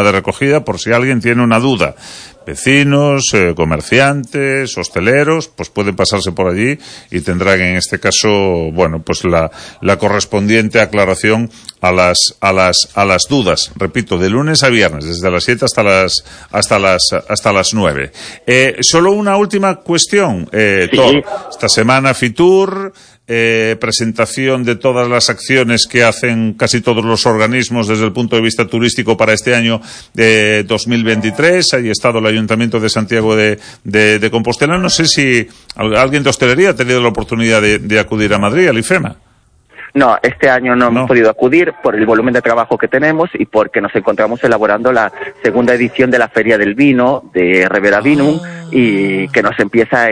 de recogida por si alguien tiene una duda. Vecinos, comerciantes, hosteleros, pues pueden pasarse por allí y tendrán en este caso, bueno, pues la correspondiente aclaración a las dudas. Repito, de lunes a viernes, desde las 7 hasta las 9. Solo una última cuestión, Thor. Esta semana Fitur, presentación de todas las acciones que hacen casi todos los organismos desde el punto de vista turístico para este año 2023. Ahí ha estado el Ayuntamiento de Santiago de Compostela. No sé si alguien de hostelería ha tenido la oportunidad de acudir a Madrid, al IFEMA. No, este año no hemos podido acudir por el volumen de trabajo que tenemos y porque nos encontramos elaborando la segunda edición de la Feria del Vino de Revera Vinum y que nos empieza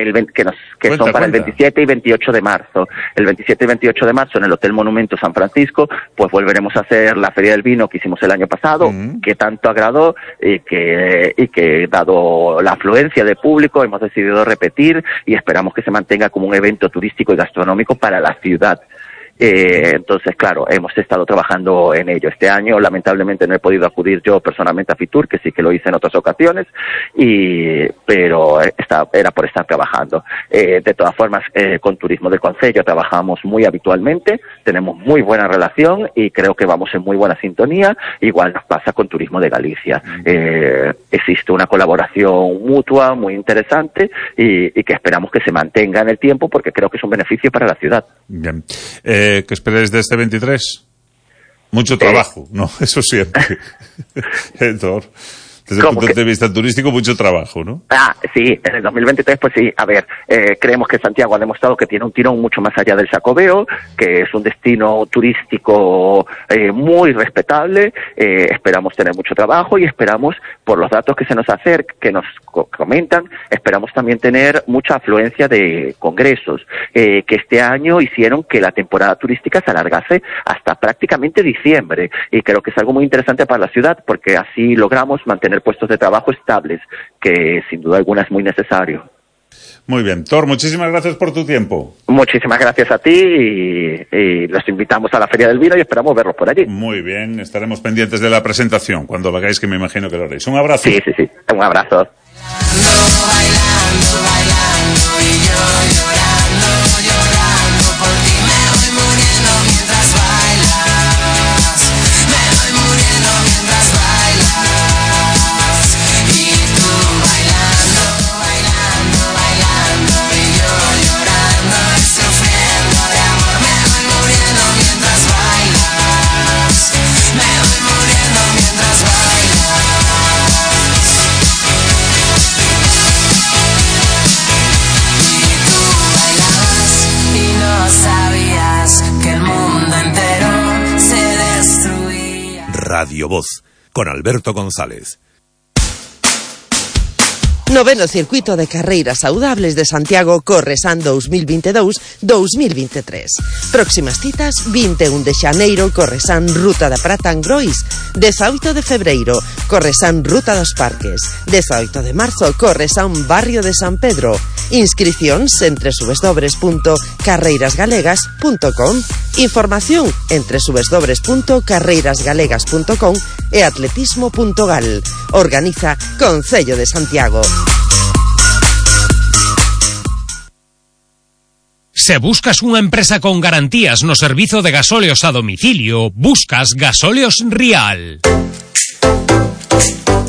son para el 27 y 28 de marzo. El 27 y 28 de marzo en el Hotel Monumento San Francisco, pues volveremos a hacer la Feria del Vino que hicimos el año pasado, que tanto agradó y que dado la afluencia de público hemos decidido repetir y esperamos que se mantenga como un evento turístico y gastronómico para la ciudad. Entonces, claro, hemos estado trabajando en ello. Este año, lamentablemente, no he podido acudir yo personalmente a Fitur, que sí que lo hice en otras ocasiones, pero era por estar trabajando. De todas formas, con Turismo del Concello trabajamos muy habitualmente, tenemos muy buena relación y creo que vamos en muy buena sintonía. Igual nos pasa con Turismo de Galicia. Existe una colaboración mutua muy interesante y que esperamos que se mantenga en el tiempo porque creo que es un beneficio para la ciudad. Bien. ¿Qué esperáis de este 23? Mucho trabajo, ¿no? Eso siempre. Héctor, desde el punto de vista turístico, mucho trabajo, ¿no? Sí, en el 2023, pues sí. A ver, creemos que Santiago ha demostrado que tiene un tirón mucho más allá del Xacobeo, que es un destino turístico muy respetable. Esperamos tener mucho trabajo y esperamos, por los datos que se nos que nos comentan, esperamos también tener mucha afluencia de congresos, que este año hicieron que la temporada turística se alargase hasta prácticamente diciembre. Y creo que es algo muy interesante para la ciudad, porque así logramos mantener puestos de trabajo estables, que sin duda alguna es muy necesario. Muy bien. Thor, muchísimas gracias por tu tiempo. Muchísimas gracias a ti y los invitamos a la Feria del Vino y esperamos verlos por allí. Muy bien, estaremos pendientes de la presentación cuando lo hagáis, que me imagino que lo haréis. Un abrazo. Sí, un abrazo. Bailando y yo llorando por ti, me voy muriendo mientras bailas, me voy muriendo mientras bailas, y tú bailando y yo llorando y sufriendo de amor, me voy muriendo mientras bailas, me voy muriendo mientras bailas. Sabías que el mundo entero se destruía. Radio Voz, con Alberto González. Noveno Circuito de Carreiras Saudables de Santiago Corresan 2022-2023. Próximas citas: 21 de xaneiro Corresan Ruta da Prata Angrois, 18 de febreiro Corresan Ruta dos Parques, 18 de marzo Corresan Barrio de San Pedro. Inscricións en www.carreirasgalegas.com. Información en www.carreirasgalegas.com e atletismo.gal. Organiza Concello de Santiago. Se buscas unha empresa con garantías no servizo de gasóleos a domicilio, buscas Gasóleos Rial.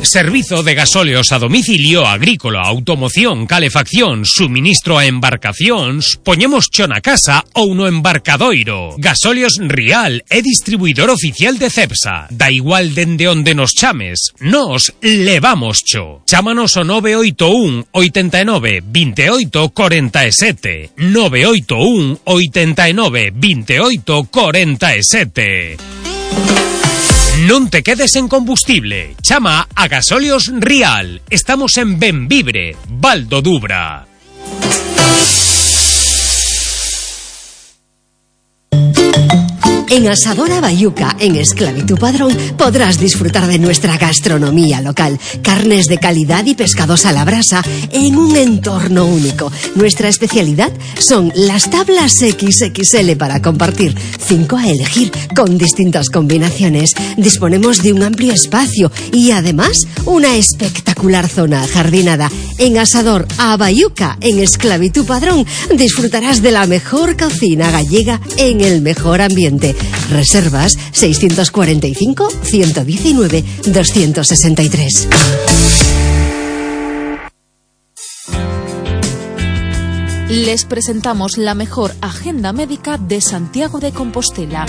Servizo de gasóleos a domicilio agrícola, automoción, calefacción, suministro a embarcacións, poñemos cho na casa ou no embarcadoiro. Gasóleos Rial é distribuidor oficial de Cepsa. Da igual dende onde nos chames, nos levamos cho. Chámanos ao 981 89 28 47. 981 89 28 47. Non te quedes en combustible. Chama a Gasóleos Rial. Estamos en Benvibre, Val do Dubra. En Asadora Bayuca, en Esclavitud Padrón, podrás disfrutar de nuestra gastronomía local, carnes de calidad y pescados a la brasa en un entorno único. Nuestra especialidad son las tablas XXL para compartir, 5 a elegir, con distintas combinaciones. Disponemos de un amplio espacio y además una espectacular zona ajardinada. En Asador a Bayuca, en Esclavitud Padrón, disfrutarás de la mejor cocina gallega en el mejor ambiente. Reservas 645 119 263. Les presentamos la mejor agenda médica de Santiago de Compostela.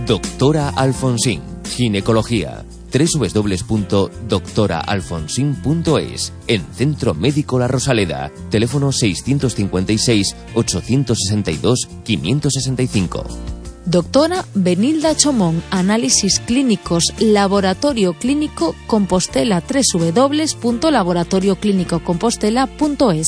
Doctora Alfonsín, ginecología. www.doctoraalfonsin.es. En Centro Médico La Rosaleda. Teléfono 656 862 565. Doctora Benilda Chomón, análisis clínicos, Laboratorio Clínico Compostela, www.laboratorioclinicocompostela.es.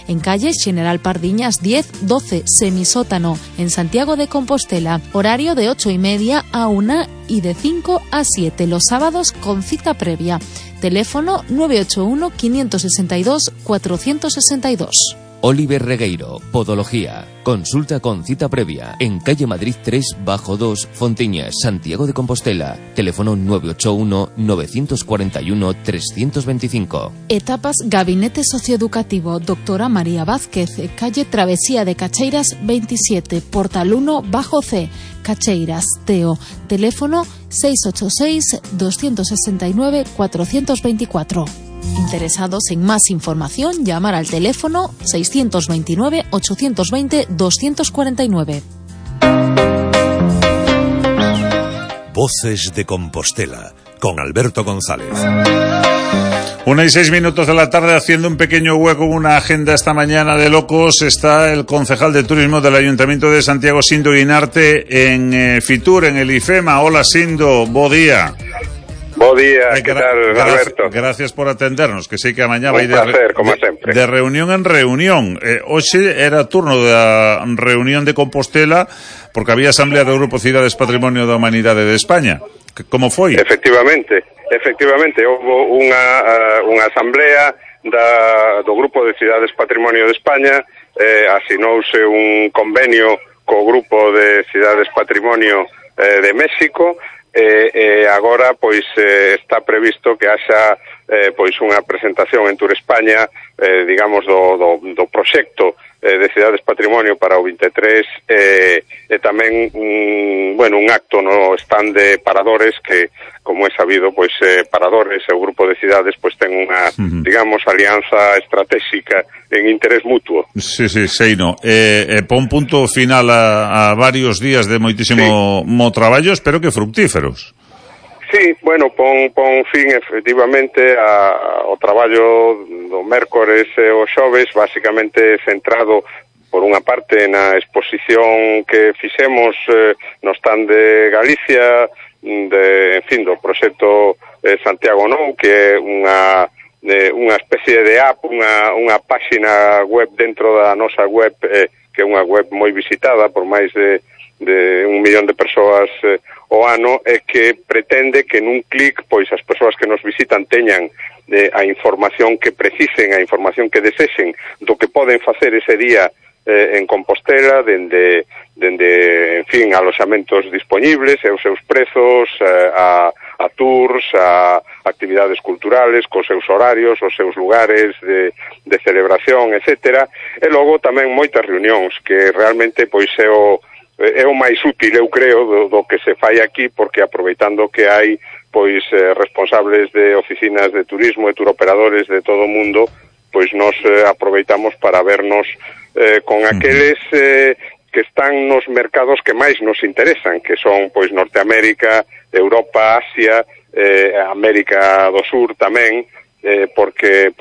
En calle General Pardiñas 10-12, semisótano, en Santiago de Compostela. Horario de 8:30 a 1 y de 5 a 7, los sábados con cita previa. Teléfono 981 562 462. Oliver Regueiro, Podología. Consulta con cita previa en calle Madrid 3-2, Fontiñas, Santiago de Compostela. Teléfono 981-941-325. Etapas Gabinete Socioeducativo, Doctora María Vázquez, calle Travesía de Cacheiras 27, Portal 1-C, Cacheiras, Teo. Teléfono 686-269-424. Interesados en más información, llamar al teléfono 629-820-249. Voces de Compostela, con Alberto González. 1:06 de la tarde, haciendo un pequeño hueco en una agenda esta mañana de locos. Está el concejal de turismo del Ayuntamiento de Santiago, Sindo Guinarte, en Fitur, en el IFEMA. Hola, Sindo, bo día. Bo día, que tal, Alberto? Gracias por atendernos, que sei que a mañá vai de reunión en reunión. Hoxe era turno da reunión de Compostela, porque había asamblea do Grupo Cidades Patrimonio da Humanidade de España. Como foi? Efectivamente, houve unha asamblea do Grupo de Cidades Patrimonio de España, asinouse un convenio co Grupo de Cidades Patrimonio de México. Agora pois está previsto que haxa pois unha presentación en Tour España, digamos do proxecto de Cidades Patrimonio para o 23, e tamén un acto no stand de Paradores, que como é sabido, pois Paradores e o Grupo de Cidades pois ten unha, digamos, alianza estratégica en interés mutuo. Sí, seino. Pon punto final a varios días de moitísimo traballo, espero que fructíferos. Sí, bueno, pon fin efectivamente ao traballo do mércores e o xoves, basicamente centrado por unha parte na exposición que fixemos no stand de Galicia, do proxecto Santiago Nou, que é unha especie de app, unha páxina web dentro da nosa web, que é unha web moi visitada por máis de 1 millón de persoas o ano, e que pretende que nun clic pois as persoas que nos visitan teñan a información que precisen, a información que desexen do que poden facer ese día en Compostela, dende en fin, aloxamentos dispoñibles e os seus prezos, a tours, a actividades culturales, cos seus horarios, os seus lugares de celebración, etcétera, e logo tamén moitas reunións, que realmente pois é o máis útil, eu creo, do que se fai aquí, porque aproveitando que hai pois responsables de oficinas de turismo e turoperadores de todo o mundo, pois nos aproveitamos para vernos con aqueles que están nos mercados que máis nos interesan, que son pois Norteamérica, Europa, Asia, América do Sur tamén, porque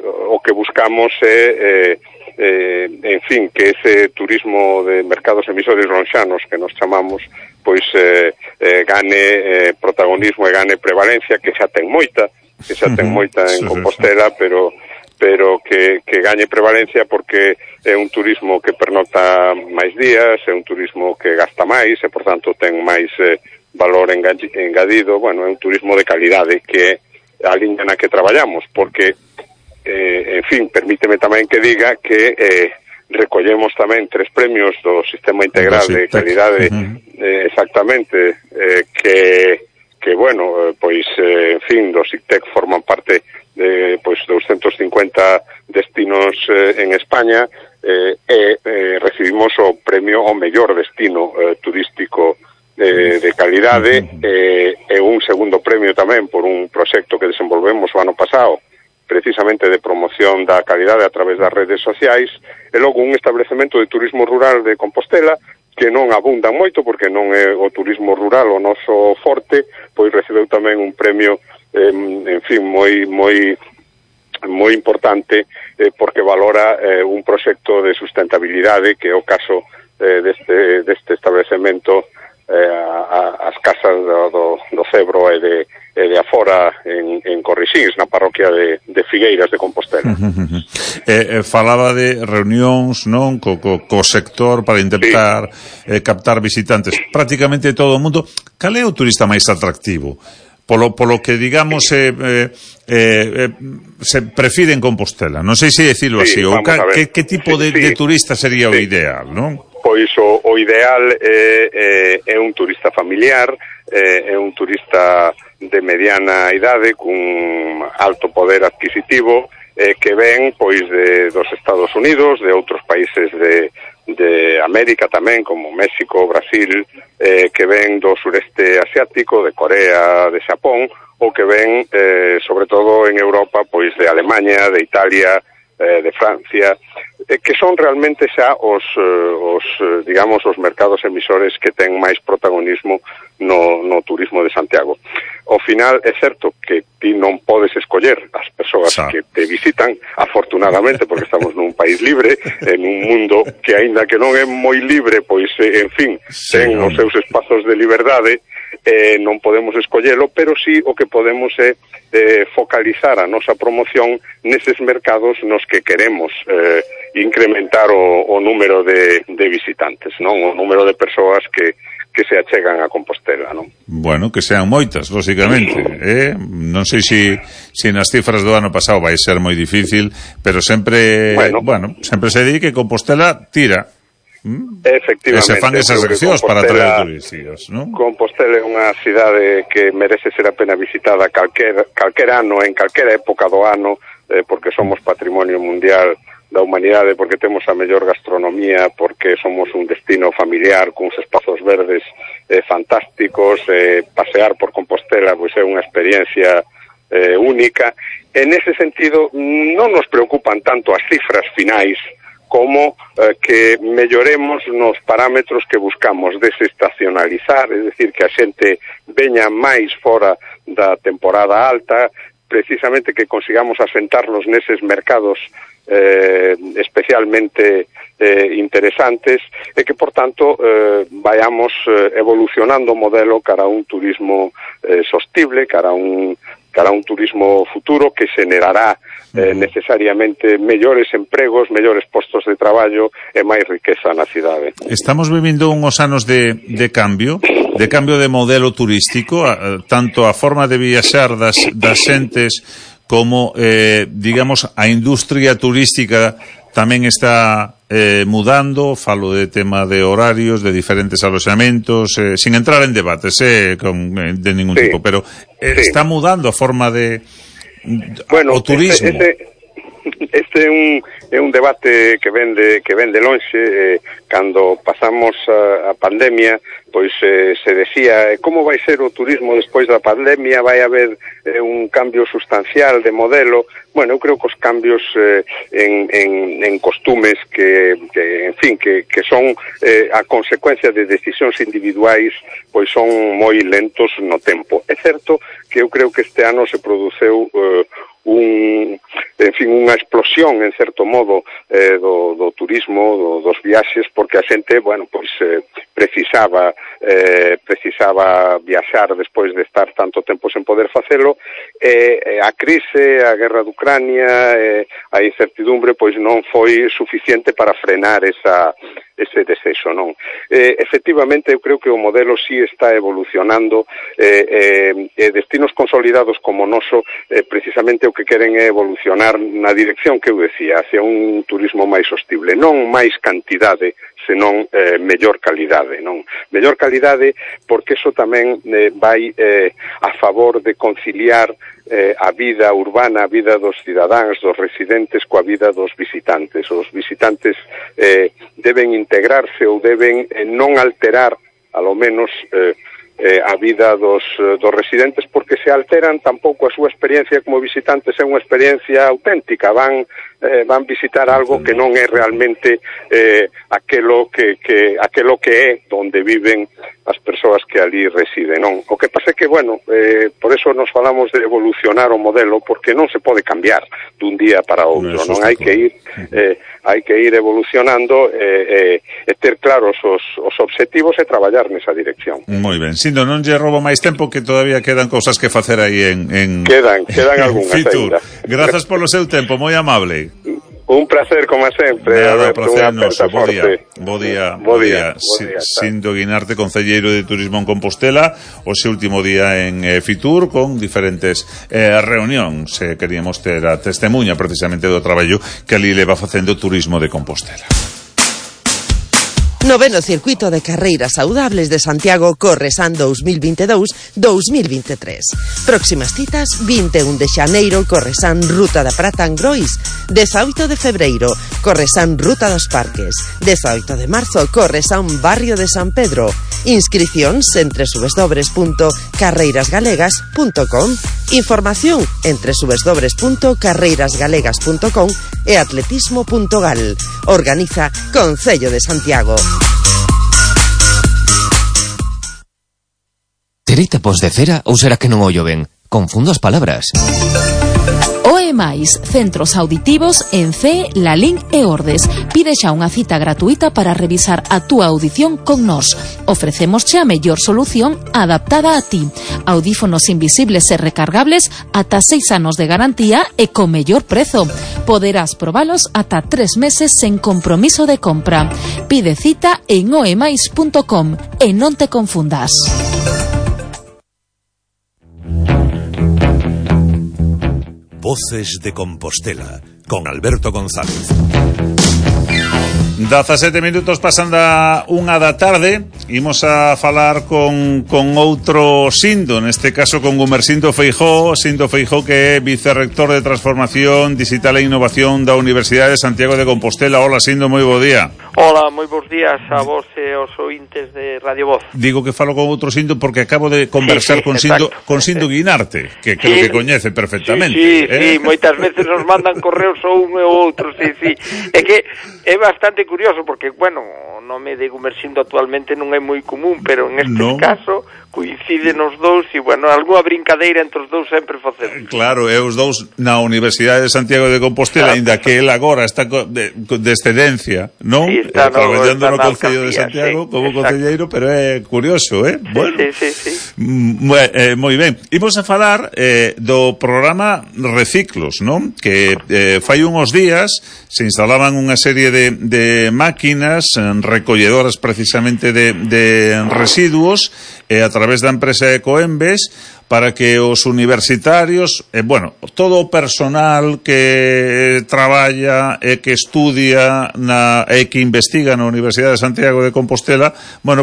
o que buscamos é en fin, que ese turismo de mercados emisores lonxanos que nos chamamos, pois gane protagonismo e gane prevalencia, que xa ten moita en Compostela, pero pero que gañe prevalencia porque é un turismo que pernocta máis días, é un turismo que gasta máis e, por tanto, ten máis valor engadido. Bueno, é un turismo de calidade que é a liña na que traballamos, porque, en fin, permíteme tamén que diga que recollemos tamén 3 premios do Sistema Integral de Calidade, exactamente, que bueno, pois, en fin, do SICTEC forman parte de, pois, 250 destinos en España, recibimos o premio ao mellor destino turístico de calidade, e un segundo premio tamén por un proxecto que desenvolvemos o ano pasado, precisamente de promoción da calidade a través das redes sociais, e logo un establecemento de turismo rural de Compostela que non abundan moito porque non é o turismo rural o noso forte, pois recebeu tamén un premio, en fin, moi importante, porque valora un proxecto de sustentabilidade que é o caso deste establecemento, as casas do Cebro e de afora en Corrixins, na parroquia de Figueiras de Compostela. Falaba de reunións, non, co sector para intentar captar visitantes prácticamente todo o mundo. Cal é o turista máis atractivo? Polo que, digamos, se prefire en Compostela. Non sei se decirlo así, ou que tipo de turista sería o ideal, non? Pois o ideal é un turista familiar, é un turista de mediana idade, cun alto poder adquisitivo, que ven pois dos Estados Unidos, de outros países de América tamén, como México, Brasil, que ven do sureste asiático, de Corea, de Xapón, ou que ven, sobre todo en Europa, pois de Alemanha, de Italia, de Francia, que son realmente xa os digamos, os mercados emisores que ten máis protagonismo no turismo de Santiago. Ao final, é certo que ti non podes escoller as persoas que te visitan, afortunadamente, porque estamos nun país libre, en un mundo que, aínda que non é moi libre, pois, en fin, ten os seus espazos de liberdade, non podemos escollelo, pero sí o que podemos é focalizar a nosa promoción neses mercados nos que queremos incrementar o número de visitantes, non? O número de persoas que se achegan a Compostela, non? Bueno, que sean moitas, lógicamente, non sei se nas cifras do ano pasado vai ser moi difícil, pero sempre, bueno, sempre se di que Compostela tira. Efectivamente. E se fan esas accións para atraer turistas, non? Compostela é unha cidade que merece ser a pena visitada calquer ano, en calquera época do ano, porque somos patrimonio mundial da humanidade, porque temos a mellor gastronomía, porque somos un destino familiar cuns espazos verdes fantásticos, pasear por Compostela pois é unha experiencia única. En ese sentido, non nos preocupan tanto as cifras finais como que melloremos nos parámetros que buscamos desestacionalizar, es decir, que a xente veña máis fora da temporada alta, precisamente que consigamos asentarnos neses mercados especialmente interesantes, e que, por tanto, vayamos evolucionando o modelo cara a un turismo sostible, cara a un turismo futuro que xenerará necesariamente mellores empregos, mellores postos de traballo e máis riqueza na cidade. Estamos vivindo unhos anos de cambio de modelo turístico, tanto a forma de viaxar das xentes como, digamos, a industria turística tamén está mudando. Falo de tema de horarios, de diferentes aloxamentos, sin entrar en debates de ningún tipo, pero está mudando a forma de o turismo. Este é un debate que ven de lonxe. Cando pasamos a pandemia, pois se decía como vai ser o turismo despois da pandemia, vai haber un cambio sustancial de modelo. Bueno, eu creo que os cambios en costumes que en fin, que son a consecuencia de decisións individuais, pois son moi lentos no tempo. É certo que eu creo que este ano se produceu unha explosión, en certo modo, do turismo, dos viaxes, porque a xente, bueno, pois precisaba viaxar despois de estar tanto tempo sen poder facelo, a crise, a guerra de Ucrania, a incertidumbre, pois non foi suficiente para frenar ese desexo, non? Efectivamente, eu creo que o modelo sí está evolucionando, destinos consolidados como o noso, precisamente o que queren é evolucionar na dirección que eu decía, hacia un turismo máis sostible, non máis cantidade, senón mellor calidade, non? Mellor calidade porque eso tamén vai a favor de conciliar a vida urbana, a vida dos cidadáns, dos residentes coa vida dos visitantes. Os visitantes deben integrarse ou deben non alterar, alo menos, a vida dos residentes, porque se alteran tampouco a súa experiencia como visitantes é unha experiencia auténtica, van visitar algo que non é realmente aquelo que é onde viven as persoas que ali residen, non? O que pasa é que, bueno, por eso nos falamos de evolucionar o modelo, porque non se pode cambiar dun día para outro, non? Hai que ir evolucionando e ter claros os obxectivos e traballar nesa dirección. Moi ben, Sindo, non lle roubo máis tempo, que todavía quedan cousas que facer aí en Quedan algunhas Fitur. ainda. Grazas polo seu tempo, moi amable. Un placer, como sempre. Nada, placer noso. Bo día. Sindo Guinarte, concelleiro de Turismo en Compostela, o seu último día en Fitur, con diferentes reunións. Queríamos ter a testemunha precisamente do traballo que ali leva facendo Turismo de Compostela. Noveno circuito de carreiras saudables de Santiago Corresan 2022-2023. Próximas citas: 21 de xaneiro Corresan Ruta da Prata en Grois, 18 de febreiro Corresan Ruta dos Parques, 18 de marzo Corresan Barrio de San Pedro. Inscricións en www.carreirasgalegas.com. Información en www.carreirasgalegas.com e atletismo.gal. Organiza Concello de Santiago. Terei tapos de cera ou será que non ollo ben? Confundo as palabras. OEMAIS, centros auditivos en CE, Lalín e Ordes. Pide xa unha cita gratuita para revisar a túa audición con nós. Ofrecémosche a mellor solución adaptada a ti. Audífonos invisibles e recargables ata 6 anos de garantía e con mellor prezo. Poderás probalos ata 3 meses sen compromiso de compra. Pide cita en oemais.com e non te confundas. Voces de Compostela, con Alberto González. 17 minutos pasan da 1 da tarde. Imos a falar con outro Sindo, neste caso con Gumersindo Feijóo. Sindo Feijóo, que é vicerrector de Transformación Digital e Innovación da Universidade de Santiago de Compostela. Hola, Sindo, moi bo día. Hola, moi bons días a vos e aos ointes de Radio Voz. Digo que falo con outro Sindo porque acabo de conversar con Sindo Guinarte, que creo que coñece perfectamente. Sí, moitas veces nos mandan correos ou un e outro, sí. É que é bastante curioso porque, bueno, o nome de Gumersindo actualmente non é moi común, pero en este caso coinciden os dous e, bueno, algunha brincadeira entre os dous sempre facemos. Claro, e os dous na Universidade de Santiago de Compostela, ainda que el agora está de excedencia, non? Sí, está traballando no Concello de Santiago como concelleiro, pero é curioso, Bueno, sí. Moi ben. Imos a falar do programa Reciclos, non? Que fai uns días se instalaban unha serie de máquinas recolledoras precisamente de residuos a través da empresa Ecoembes, para que os universitarios, todo o personal que traballa e que estudia e que investiga na Universidade de Santiago de Compostela,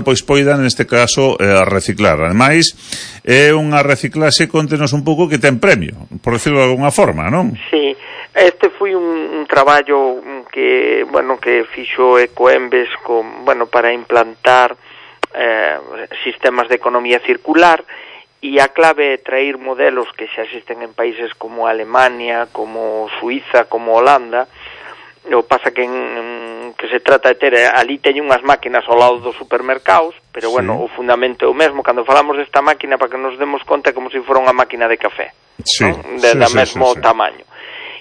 pois poidan neste caso reciclar. Ademais, é unha reciclaxe, contenos un pouco, que ten premio, por decirlo de alguna forma, non? Sí, este foi un traballo que fixo Ecoembes para implantar sistemas de economía circular, e a clave é traer modelos que xa existen en países como Alemania, como Suiza, como Holanda. O pasa que se trata de ter, ali teñen unhas máquinas ao lado dos supermercados, pero o fundamento é o mesmo. Cando falamos desta máquina, para que nos demos conta, é como se fora unha máquina de café, da mesmo tamaño.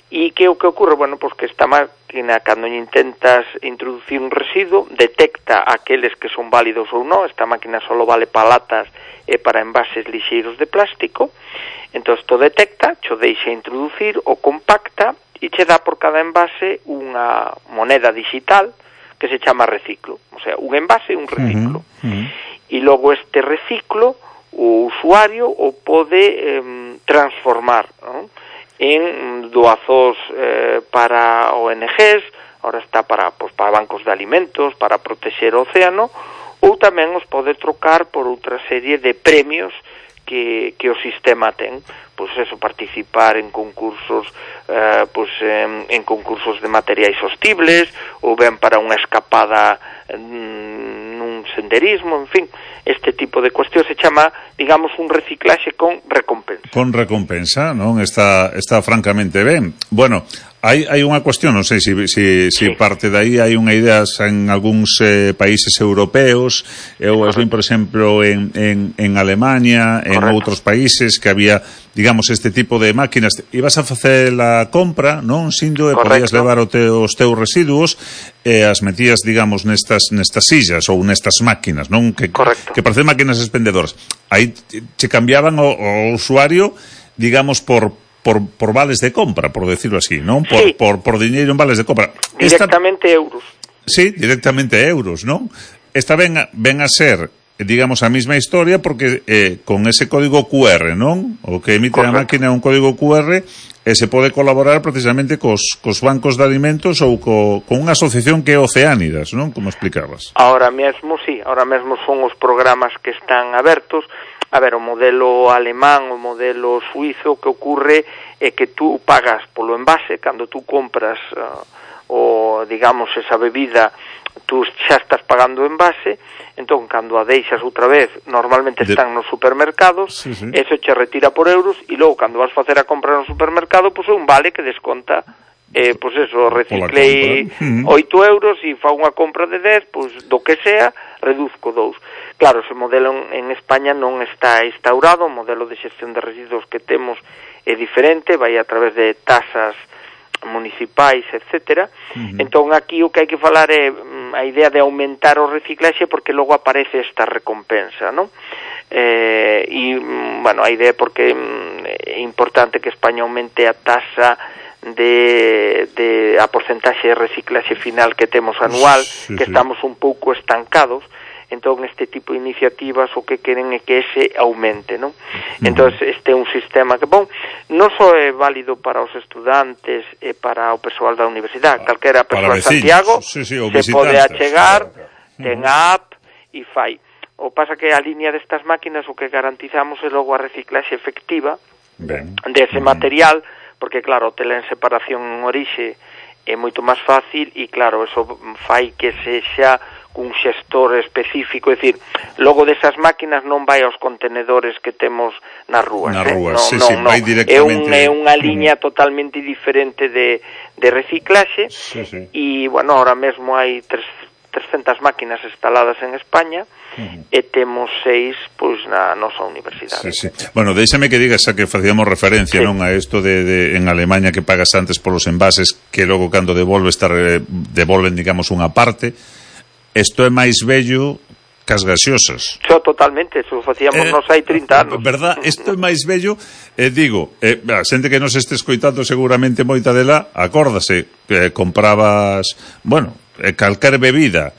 E que o que ocorre? Pois que esta máquina, cando intentas introducir un residuo, detecta aqueles que son válidos ou non. Esta máquina só vale para latas e para envases lixeiros de plástico, Entón, isto detecta, cho deixa introducir, o compacta e che dá por cada envase unha moneda digital que se chama reciclo. O sea, un envase e un reciclo. E logo este reciclo o usuario o pode transformar, ¿no?, en doazos para ONGs, ahora está para bancos de alimentos, para protexer o océano, ou tamén os pode trocar por outra serie de premios que o sistema ten. Pois eso, participar en concursos en concursos de materiais sostibles, ou ben para unha escapada nun senderismo, en fin, este tipo de cuestión se chama, digamos, un reciclaxe con recompensa. Con recompensa, non? Está francamente ben. Bueno, hai unha cuestión, non sei se parte de aí hai unha idea en algúns países europeos, eu as vin, por exemplo, en Alemania, en outros países que había, digamos, este tipo de máquinas. Ibas a facer a compra, non, Sindo, e podías levar os teus residuos e as metías, digamos, nestas sillas ou nestas máquinas, non? Que parecen máquinas expendedoras. Aí che cambiaban o usuario, digamos, por vales de compra, por decirlo así, non? Por diñeiro en vales de compra. Directamente euros. Sí, directamente euros, non? Esta ven a ser, digamos, a mesma historia porque con ese código QR, non? O que emite a máquina é un código QR e se pode colaborar precisamente cos bancos de alimentos ou con unha asociación que é Oceánidas, non? Como explicabas. Ahora mesmo son os programas que están abertos. A ver, o modelo alemán, o modelo suizo, que ocorre é que tú pagas polo envase, cando tú compras digamos, esa bebida, tú xa estás pagando o envase, entón, cando a deixas outra vez, normalmente están nos supermercados, eso che retira por euros, e logo, cando vas facer a compra no supermercado, pois é un vale que desconta, pois eso, reciclei 8 euros e fa unha compra de 10, pois do que sea, reduzco 2. Claro, ese modelo en España non está instaurado, o modelo de xestión de residuos que temos é diferente, vai a través de tasas municipais, etcétera. Entón, aquí o que hai que falar é a idea de aumentar o reciclaxe, porque logo aparece esta recompensa, non? Bueno, a idea é porque é importante que España aumente a tasa de a porcentaxe de reciclaxe final que temos anual, que estamos un pouco estancados. Entón, este tipo de iniciativas o que queren é que ese aumente, non? Entón, este é un sistema que, non só é válido para os estudantes e para o persoal da universidade, calquera persoa de Santiago se pode achegar, ten a app e fai. O pasa que a línea destas máquinas o que garantizamos é logo a reciclaxe efectiva dese material, porque, claro, tela en separación en orixe é moito máis fácil e, claro, eso fai que sexa un xestor específico, é dicir, logo desas máquinas non vai aos contenedores que temos nas rúas. Vai directamente. É unha liña totalmente diferente de reciclaxe e, bueno, ahora mesmo hai 300 máquinas instaladas en España e temos 6 pois na nosa universidade. Bueno, déixame que digas a que facíamos referencia, non, a isto de en Alemania que pagas antes polos envases que logo cando devolven, digamos, unha parte. Isto é máis bello que as gaseosas. Totalmente, eso facíamos nos hai 30 anos. Verdad, isto é máis bello, digo, a xente que nos este escoitando seguramente moita dela, acórdase que comprabas, calquer bebida,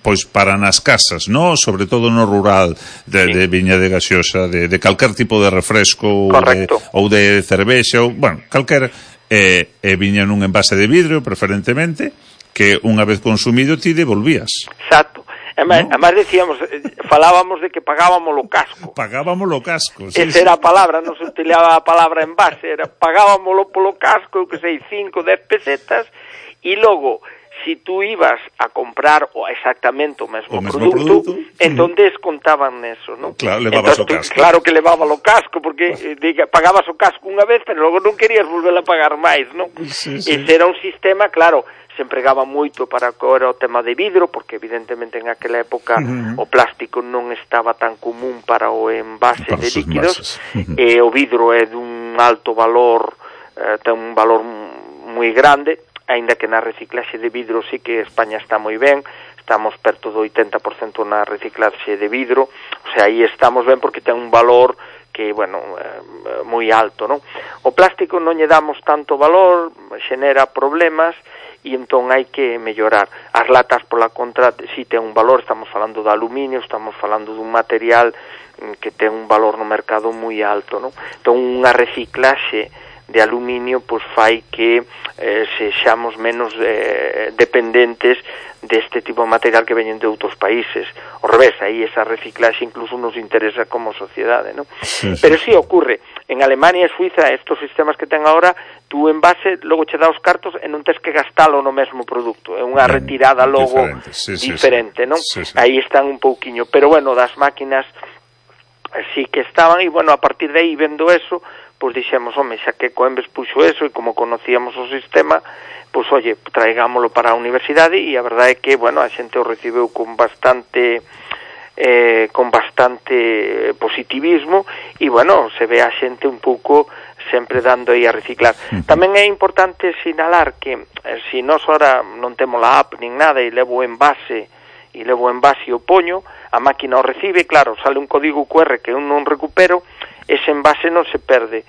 pois para nas casas, no? Sobre todo no rural, de viña de gaseosa, de calquer tipo de refresco ou de cervexa, calquer, viña nun envase de vidro, preferentemente, que unha vez consumido ti devolvías. Exacto. Además decíamos, falábamos de que pagábamos o casco. Pagábamos o casco, Esa era a palabra, non se utilizaba a palabra envase, era pagábamos polo casco, eu que sei, 5, 10 pesetas, e logo, si tú ibas a comprar exactamente o mesmo produto, entón descontaban neso, non? Claro, levabas o casco. Claro que levaba o casco, porque pagabas o casco unha vez, pero logo non querías volver a pagar máis, non? Ese era un sistema, claro, se empregaba moito para o tema de vidro, porque evidentemente en aquela época o plástico non estaba tan común para o envase de líquidos, e o vidro é dun alto valor, ten un valor moi grande, aínda que na reciclaxe de vidro sí que España está moi ben, estamos perto do 80% na reciclaxe de vidro, o sea, aí estamos ben porque ten un valor bueno, moi alto, non? O plástico non lle damos tanto valor, xenera problemas, e entón hai que mellorar. As latas, pola contra, si ten un valor, estamos falando de aluminio, estamos falando dun material que ten un valor no mercado moi alto, non? Entón, unha reciclaxe de aluminio pois fai que sexamos menos dependentes deste tipo de material que veñen de outros países. Ao revés, aí esa reciclaxe incluso nos interesa como sociedade, non? Sí, sí. Pero si ocurre, en Alemania e Suiza, estos sistemas que ten agora, tú en base, logo che dá os cartos e non tens que gastalo no mesmo produto, é unha retirada logo diferente, non? Sí, sí. Aí están un pouquiño, pero bueno, das máquinas sí que estaban, e bueno, a partir de aí, vendo eso, pois dixemos, home, xa que Coembes puxo eso e como conocíamos o sistema, pois, oye, traigámolo para a universidade, e a verdade é que, bueno, a xente o recibeu con bastante positivismo, e, bueno, se ve a xente un pouco sempre dando aí a reciclar. Tamén é importante sinalar que, se nós ahora non temos a app nin nada e levo o envase e o poño, a máquina o recibe, claro, sale un código QR que eu non recupero, ese envase non se perde,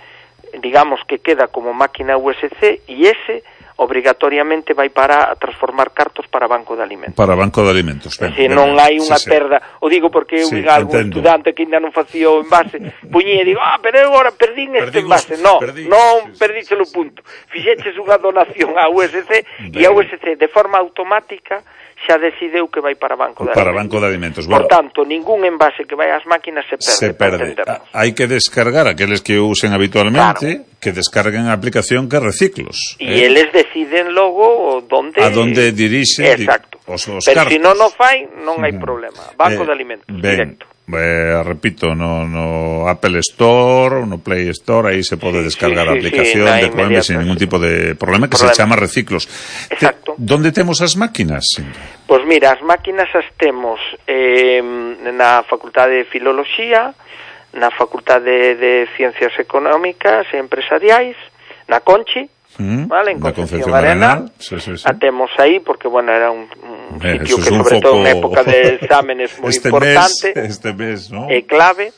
digamos que queda como máquina USC, e ese obrigatoriamente vai para transformar cartos para banco de alimentos. Para banco de alimentos. Se non hai unha perda, o digo porque eu digo algún estudante que ainda non facía o envase, puñía e digo, pero eu agora perdín este envase. Non perdíchelo punto. Fixeches unha donación á USC e a USC de forma automática xa decideu que vai para banco de alimentos. Para banco de alimentos. Por tanto, ningún envase que vai ás máquinas se perde. Se perde. Hai que descargar, aqueles que usen habitualmente, claro, que descarguen a aplicación que Reciclos. E eles deciden logo a donde dirixe os pero se non o fai, non hai problema. Banco de alimentos, directo. Repito, no Apple Store, no Play Store, aí se pode descargar a aplicación de Coembes sin ningún tipo de problema, que se chama Reciclos. Exacto. Donde temos as máquinas? Pois mira, as máquinas as temos na Facultade de Filoloxía, na Facultade de Ciencias Económicas e Empresariais, na Conchi, vale, en Concepción Arenal. A temos aí porque, bueno, era un sitio que, sobre todo en época de exámenes, moi importante. Este mes, ¿no? É clave.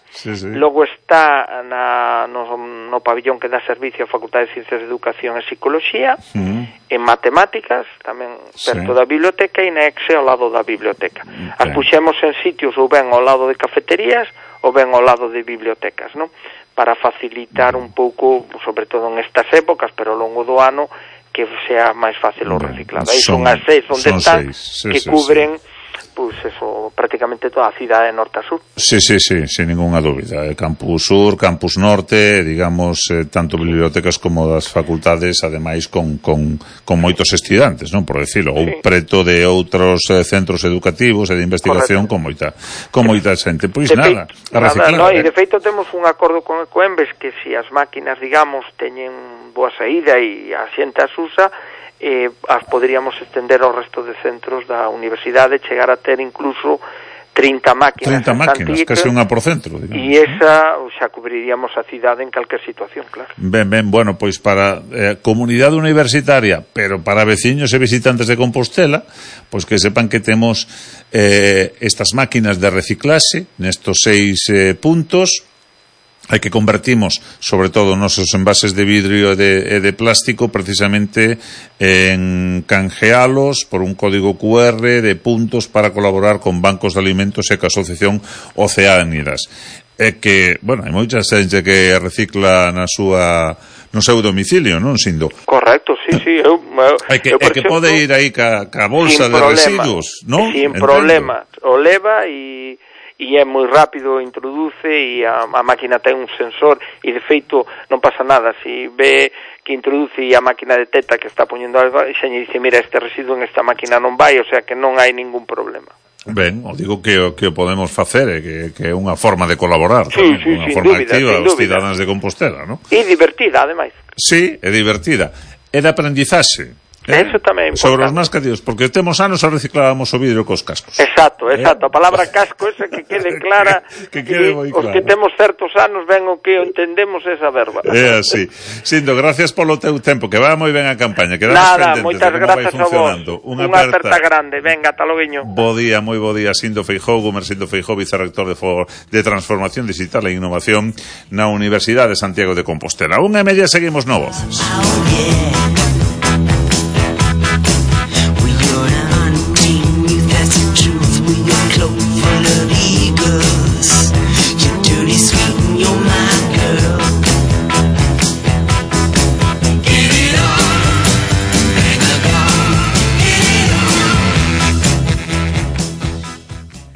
Logo está no pabillón que dá servicio a Facultade de Ciencias de Educación e Psicoloxía, en Matemáticas, tamén perto da biblioteca, e na EXE ao lado da biblioteca. As puxemos en sitios ou ben ao lado de cafeterías ou ben ao lado de bibliotecas, non? Para facilitar un pouco, sobre todo en estas épocas, pero ao longo do ano, que sea máis fácil o reciclado. Aí son as 6 onde están, que cubren pois eso, prácticamente toda a cidade de norte a sur. Sí, sin ninguna dúbida. Campus Sur, Campus Norte, digamos, tanto bibliotecas como das facultades, ademais con moitos estudantes, non, por decirlo, ou preto de outros centros educativos e de investigación. Correcto. con moita xente. Pois nada, a reciclar. E de feito temos un acordo con Ecoembes que se as máquinas, digamos, teñen boa saída e a xente as usa, as poderíamos estender ao resto de centros da universidade, chegar a ter incluso 30 máquinas. 30 máquinas, case unha por centro, digamos. E esa xa cubriríamos a cidade en calquer situación, claro. Ben, bueno, pois para comunidade universitaria, pero para veciños e visitantes de Compostela, pois que sepan que temos estas máquinas de reciclaxe nestos 6 puntos. Hai que convertimos, sobre todo, nosos envases de vidrio e de plástico, precisamente en canjealos por un código QR de puntos para colaborar con bancos de alimentos e ca Asociación Oceánidas. Que, bueno, hai moita xente que recicla no seu domicilio, non, Sindo? Correcto, sí. Que pode ir aí ca bolsa de residuos, non? Sin problema. O leva e é moi rápido, introduce, e a máquina ten un sensor, e de feito non pasa nada, se ve que introduce e a máquina detecta que está poñendo algo, e xa lle dice, mira, este residuo en esta máquina non vai, o sea que non hai ningún problema. Ben, o digo que o podemos facer, que é unha forma de colaborar, unha forma activa aos cidadáns de Compostela, non? E divertida, ademais. Sí, é divertida. É de aprendizaxe. Eso tamén é importante. Sobre os máis cativos, porque temos anos a reciclábamos o vidro cos cascos. Exacto, a palabra casco esa que quede clara, que quede moi clara. Os que temos certos anos ven o que entendemos esa verba. É así. Sindo, gracias polo teu tempo, que va moi ben a campaña. Nada, moitas grazas a vos. Unha aperta grande, venga, ata loguiño. Bo día, moi bo día, Sindo Feijóo, Gómez Sindo Feijóo, vicerrector de Transformación Digital e Innovación na Universidade de Santiago de Compostela. 1:30 seguimos no Voces.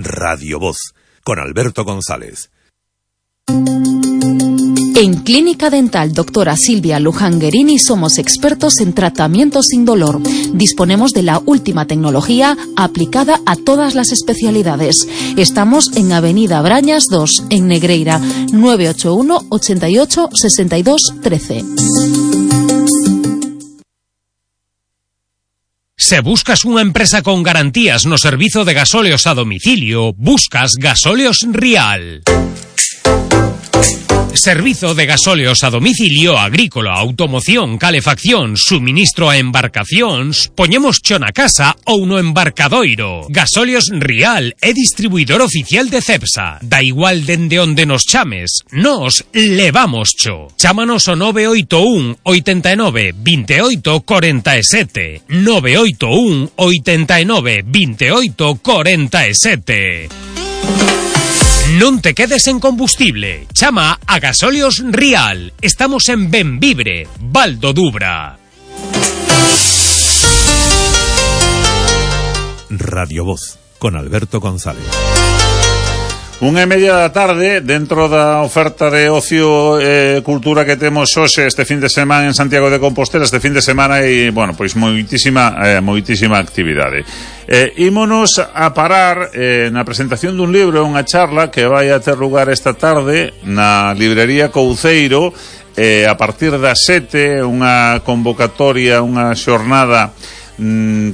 Radio Voz, con Alberto González. En Clínica Dental Doctora Silvia Luján-Guerini somos expertos en tratamiento sin dolor. Disponemos de la última tecnología aplicada a todas las especialidades. Estamos en Avenida Brañas 2, en Negreira, 981 88 62 13. Se buscas unha empresa con garantías no servizo de gasóleos a domicilio, buscas Gasóleos Rial. Servizo de gasóleos a domicilio, agrícola, automoción, calefacción, suministro a embarcacións, poñemos cho na casa ou no embarcadoiro. Gasóleos Rial é distribuidor oficial de Cepsa. Da igual dende onde nos chames, nos levamos cho. Chámanos ao 981 89 28 47. 981 89 28 47. Non te quedes en combustible. Chama a Gasóleos Rial. Estamos en Benvibre, Val do Dubra. Radio Voz, con Alberto González. 1:30 da tarde, dentro da oferta de ocio e cultura que temos hoxe este fin de semana en Santiago de Compostela, este fin de semana e, bueno, pois moitísima actividade. Ímonos a parar na presentación dun libro, unha charla que vai a ter lugar esta tarde na librería Couceiro, a partir das 7, unha convocatoria, unha xornada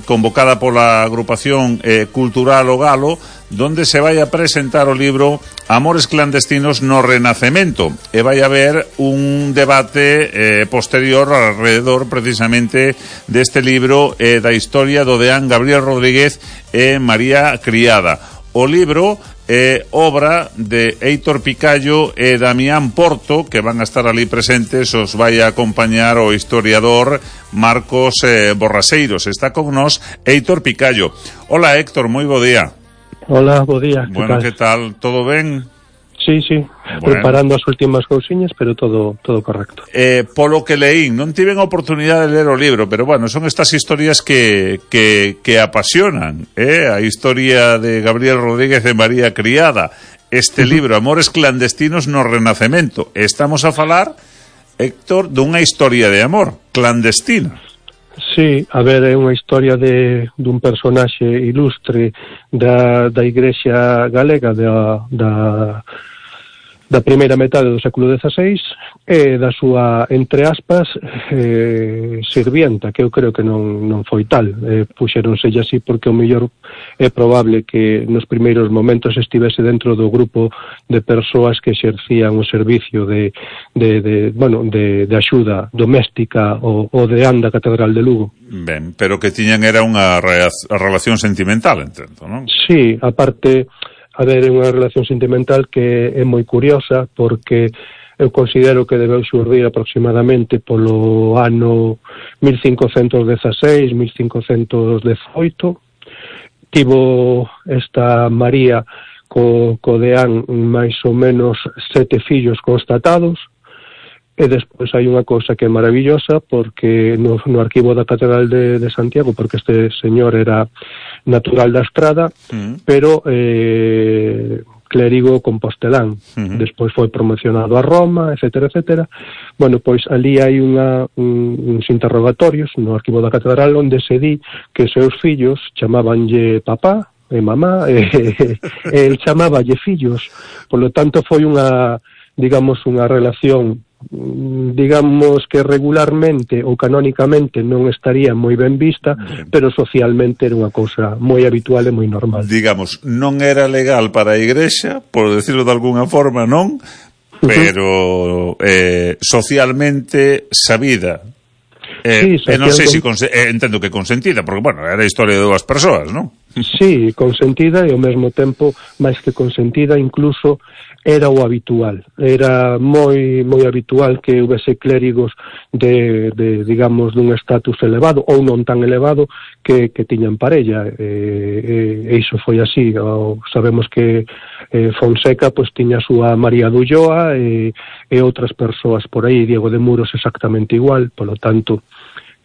convocada pola agrupación cultural O Galo, donde se vai a presentar o libro Amores clandestinos no Renacemento, e vai haber un debate posterior alrededor precisamente deste libro da historia do deán Gabriel Rodríguez e María Criada. O libro é obra de Heitor Picallo e Damián Porto, que van a estar ali presentes. Os vai a acompañar o historiador Marcos Borraseiros. Está con nós Heitor Picallo. Hola, Héctor, moi bo día. Hola, bo día. Bueno, que tal? Todo ben? Sí, bueno. Preparando as últimas cousiñas, pero todo correcto. Polo que leín, non tiven a oportunidade de ler o libro, pero bueno, son estas historias que apasionan, a historia de Gabriel Rodríguez e María Criada, este libro, Amores clandestinos no Renacemento. Estamos a falar, Héctor, dunha historia de amor clandestina. Sí, a ver, é unha historia dun personaxe ilustre da Igrexa galega da primeira metade do século XVI e da súa, entre aspas, sirvienta, que eu creo que non foi tal. Puxéronselle así porque o mellor é probable que nos primeiros momentos estivese dentro do grupo de persoas que exercían o servicio de axuda doméstica o deán da Catedral de Lugo. Ben, pero que tiñan era unha relación sentimental, entendo, non? Sí, aparte, a ver, é unha relación sentimental que é moi curiosa, porque eu considero que debeu xurdir aproximadamente polo ano 1516, 1518. Tivo esta María co deán máis ou menos 7 fillos constatados, e despois hai unha cousa que é maravillosa, porque no arquivo da Catedral de Santiago, porque este señor era natural da Estrada, pero clérigo compostelán. Despois foi promocionado a Roma, etcétera, etcétera. Bueno, pois ali hai uns interrogatorios no arquivo da Catedral onde se di que seus fillos chamabanlle papá e mamá, e el chamáballe fillos. Por lo tanto, foi unha, digamos, unha relación digamos que regularmente ou canónicamente non estaría moi ben vista, pero socialmente era unha cousa moi habitual e moi normal. Digamos, non era legal para a Igrexa, por decirlo de alguna forma, non? Pero socialmente sabida. Sí, non sei se entendo que consentida, porque, bueno, era a historia de dúas persoas, non? Sí, consentida e ao mesmo tempo, máis que consentida, incluso era o habitual. Era moi habitual que houvese clérigos de digamos, dun estatus elevado ou non tan elevado que tiñan parella. E iso foi así. Sabemos que Fonseca pois tiña a súa María de Ulloa e outras persoas por aí, Diego de Muros exactamente igual, polo tanto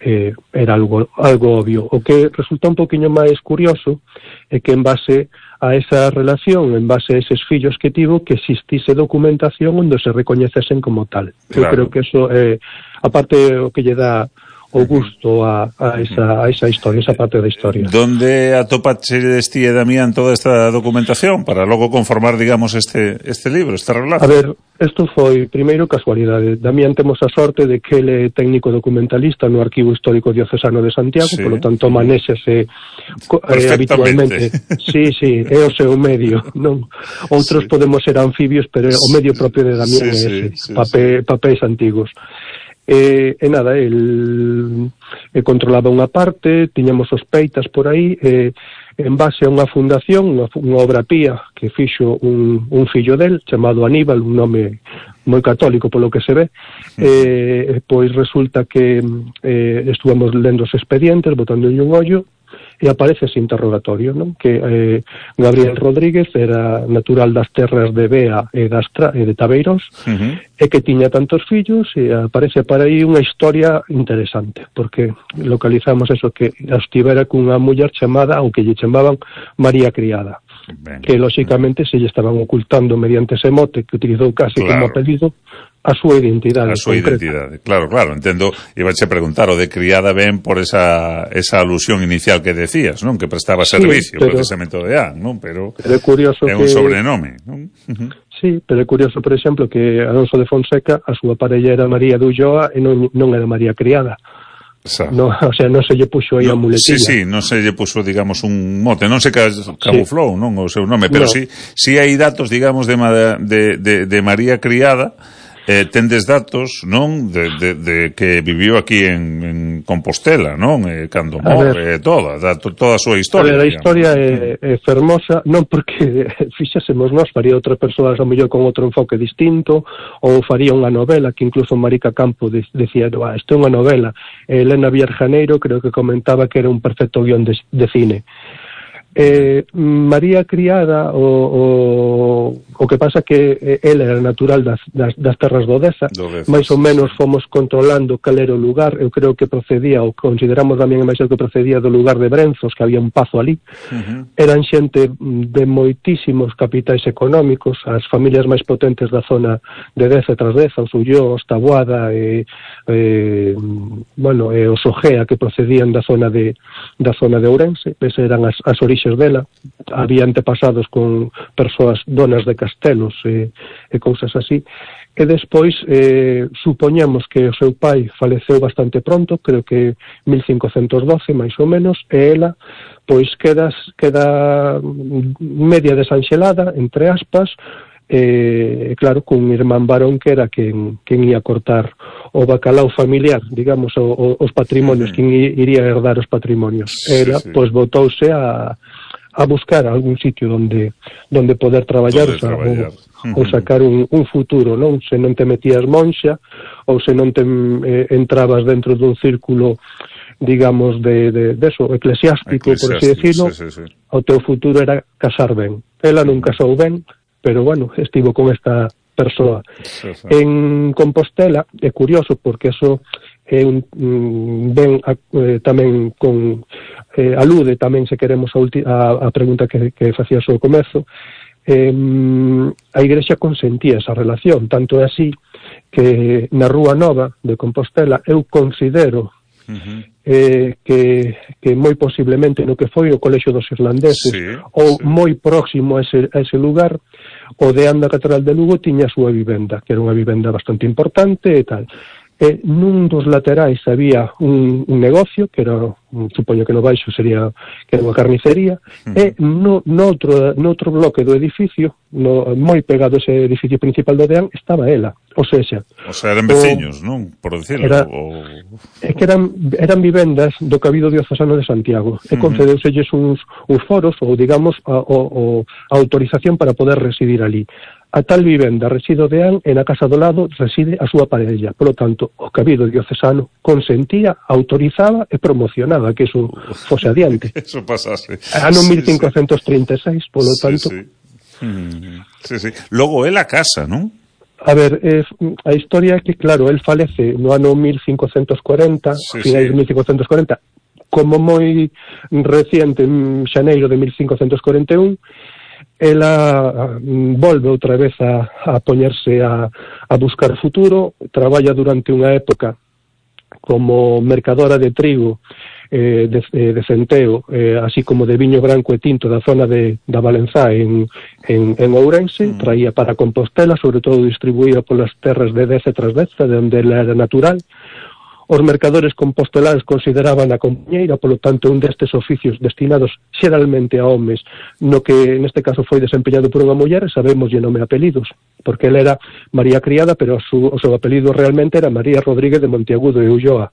era algo obvio. O que resulta un poquinho máis curioso é que en base a esa relación, en base a eses fillos que tivo, que existise documentación onde se recoñecesen como tal. Claro. Eu creo que eso é, aparte, o que lle dá o gusto a esa historia, esa parte da historia. Donde atopaches ti e Damián toda esta documentación para logo conformar, digamos, este libro, este relato? A ver, isto foi primeiro casualidade. Damián temos a sorte de que ele é técnico documentalista no Arquivo Histórico Diocesano de Santiago, sí. Polo tanto manéxase habitualmente. Sí, é o seu medio, non? Outros podemos ser anfibios, pero o medio propio de Damián é ese, papéis antigos. E nada, el controlaba unha parte, tiñamos sospeitas por aí, en base a unha fundación, unha obra pía que fixo un fillo del, chamado Aníbal, un nome moi católico polo que se ve, pois resulta que estuvamos lendo os expedientes, botándolle un ollo, e aparece ese interrogatorio, non? Que Gabriel Rodríguez era natural das terras de Bea e de Tabeiros, e que tiña tantos fillos, e aparece para aí unha historia interesante, porque localizamos eso, que estivera cunha muller chamada, ou que lle chamaban María Criada, que lóxicamente se lle estaban ocultando mediante ese mote que utilizou casi como apelido a súa identidade. A súa identidade, claro, entendo, ibache a preguntar, o de Criada ben por esa alusión inicial que decías, non? Que prestaba servicio, precisamente de An, non? Pero é curioso é un sobrenome, non? Sí, pero é curioso, por exemplo, que Alonso de Fonseca, a súa parella era María de Ulloa e non era María Criada. No, o sea, non se lle puxo aí a muletilla. Sí, non se lle puxo, digamos, un mote, non se camuflou, non, o seu nome, pero sí hai datos, digamos, de María Criada. Tendes datos, non, de que viviu aquí en Compostela, non, cando morre, toda a súa historia. A historia é fermosa, non porque fixásemos nós, faría outra persoa a mellor con outro enfoque distinto, ou faría unha novela, que incluso Marica Campo decía, isto é unha novela. Elena Vierjaneiro creo que comentaba que era un perfecto guión de cine. María Criada, o que pasa que ela era natural das terras do Deza, máis ou menos fomos controlando cal era o lugar. Eu creo que procedía, ou consideramos tamén máis que procedía do lugar de Brenzos, que había un pazo ali. Eran xente de moitísimos capitais económicos, as familias máis potentes da zona de Deza e Trasdeza, os Ulló, os Taboada e os Ojea, que procedían da zona de Ourense. Esas eran as orixes dela. Había antepasados con persoas donas de castelos e cousas así. E despois supoñemos que o seu pai faleceu bastante pronto, creo que 1512 máis ou menos, e ela pois queda media desanxelada, entre aspas, claro, cun irmán varón que era quen ia cortar o bacalao familiar, digamos, os patrimonios, quen iría herdar os patrimonios. Ela pois botouse a buscar algún sitio donde poder traballar, ou sacar un futuro, non? Se non te metías monxa, ou se non te entrabas dentro dun círculo, digamos, de eso, eclesiástico, por así decirlo, o teu futuro era casar ben. Ela non casou ben, pero, bueno, estivo con esta persoa. En Compostela é curioso, porque eso tamén con alude tamén, se queremos, a pregunta que facías ao comezo. A Igrexa consentía esa relación, tanto é así que na Rúa Nova de Compostela eu considero que moi posiblemente no que foi o Colexio dos Irlandeses ou moi próximo a ese lugar, o deán da Catedral de Lugo tiña a súa vivenda, que era unha vivenda bastante importante e tal. Nun dos laterais había un negocio que era, supoño que no baixo sería que era unha carnicería, e no outro bloque do edificio, moi pegado ese edificio principal do deán, estaba ela. O sea, eran veciños, non? Por decirlo. É que eran vivendas do Cabildo Diocesano de Santiago, e concedeuselles uns foros, ou digamos, a autorización para poder residir ali. A tal vivenda reside o deán e na casa do lado reside a súa parella. Por lo tanto, o Cabildo Diocesano consentía, autorizaba e promocionaba que eso fose adiante. Eso pasase. Ano 1536, por lo tanto. Sí. Logo é a casa, non? A ver, a historia é que, claro, el falece no ano 1540, finais de 1540, como moi reciente, en xaneiro de 1541, ela volve outra vez a poñerse a buscar futuro, traballa durante unha época como mercadora de trigo, de centeo, así como de viño branco e tinto da zona da Valenzá en Ourense, traía para Compostela, sobre todo distribuía polas terras de Deza e Trasdeza, de onde ela era natural. Os mercadores compostelares consideraban a compañeira, polo tanto, un destes oficios destinados xeralmente a homes, no que neste caso foi desempeñado por unha muller, sabemos o nome e apelidos, porque ela era María Criada, pero o seu apelido realmente era María Rodríguez de Monteagudo e Ulloa.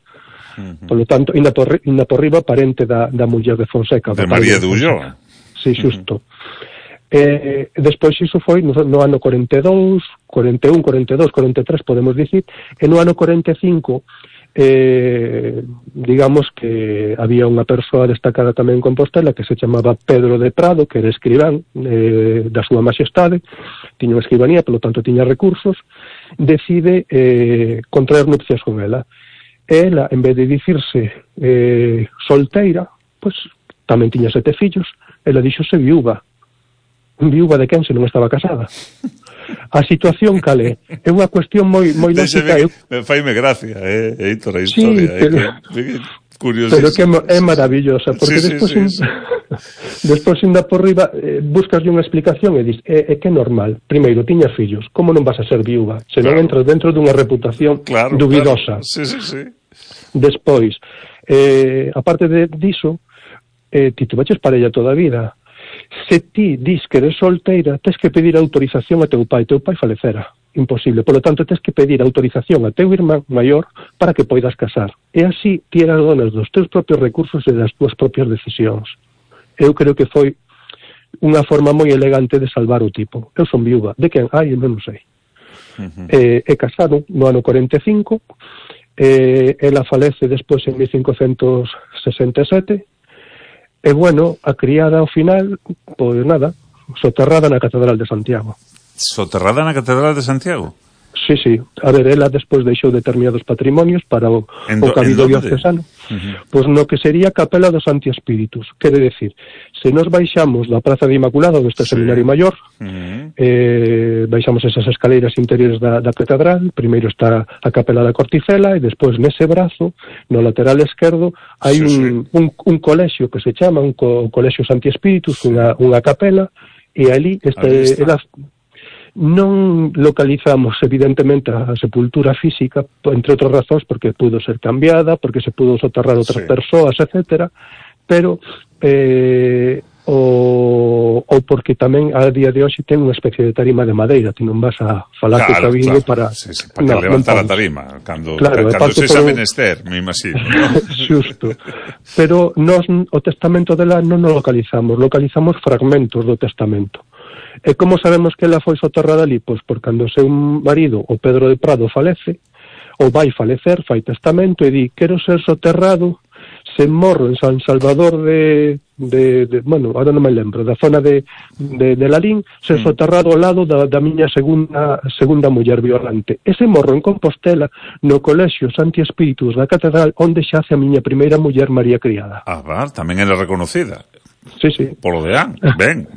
Polo tanto, inda por riba, parente da muller de Fonseca. De María de Ulloa. Sí, xusto. Despois iso foi no ano 42, 41, 42, 43, podemos dicir, e no ano 45 digamos que había unha persoa destacada tamén en Compostela que se chamaba Pedro de Prado, que era escribán da súa majestade, tiña unha escribanía, polo tanto tiña recursos, decide contraer nupcias con ela. Ela, en vez de dicirse solteira, pois tamén tiña 7 fillos, ela dixose viúva. Viúva de quen se non estaba casada? A situación calé é unha cuestión moi lógica. Faime gracia, Héctor, a historia. Pero que é maravillosa, porque despois inda por riba buscaslle unha explicación e dis, é que é normal. Primeiro, tiñas fillos, como non vas a ser viúva? Se non entras dentro dunha reputación dubidosa. Sí. Despois, aparte diso, ti tuveches parella toda a vida. Se ti dis que eres solteira, tens que pedir autorización a teu pai falecera, imposible, polo tanto tens que pedir autorización a teu irmán maior para que poidas casar, e así ti eras donas dos teus propios recursos e das túas propias decisións. Eu creo que foi unha forma moi elegante de salvar o tipo. Eu son viúva, de quen? Eu non sei. E casaron no ano 45, ela falece despois en 1567. E bueno, a criada ao final, pois nada, soterrada na Catedral de Santiago. Soterrada na Catedral de Santiago? Sí. A ver, ela despois deixou determinados patrimonios para o Cabildo Diocesano. Pois no que sería Capela dos Santi Espíritus. Quere decir, se nos baixamos da Praza de Inmaculada, onde está o Seminario Maior, baixamos esas escaleiras interiores da catedral, primeiro está a Capela da Corticela, e despois nese brazo, no lateral esquerdo, hai un colexio que se chama un colexio Santi Espíritus, unha capela, e ali está. Non localizamos evidentemente a sepultura física, entre outras razóns porque pudo ser cambiada, porque se pudo soterrar outras persoas, etcétera, pero ou porque tamén a día de hoxe ten unha especie de tarima de madeira, ti non vas a falar que cabildo para para levantar a tarima cando se xa menester, me imagino, ¿no? Xusto. Pero nós o testamento dela non o localizamos fragmentos do testamento. E como sabemos que ela foi soterrada ali? Pois por cando o seu marido, o Pedro de Prado, falece, ou vai falecer, fai testamento e di, quero ser soterrado, se morro en San Salvador bueno, ahora non me lembro, da zona de Lalín, ser soterrado ao lado da miña segunda muller violante. Ese morro en Compostela, no colexio Santi Espíritus da Catedral, onde xace a miña primeira muller María Criada. Tamén era reconocida. Sí. Polo Deán. Ben.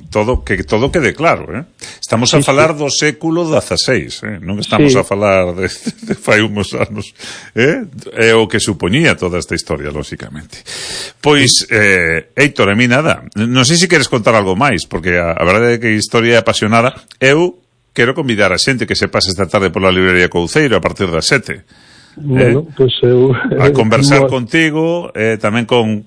Todo quede claro, Estamos a falar do século XVI, non estamos a falar de fai uns anos, É o que supoñía toda esta historia, lóxicamente. Pois, Héctor, a mí nada. Non sei se queres contar algo máis, porque a verdade é que a historia é apasionada. Eu quero convidar a xente que se pase esta tarde pola librería Couceiro a partir das 7. Bueno, pues a conversar contigo, tamén con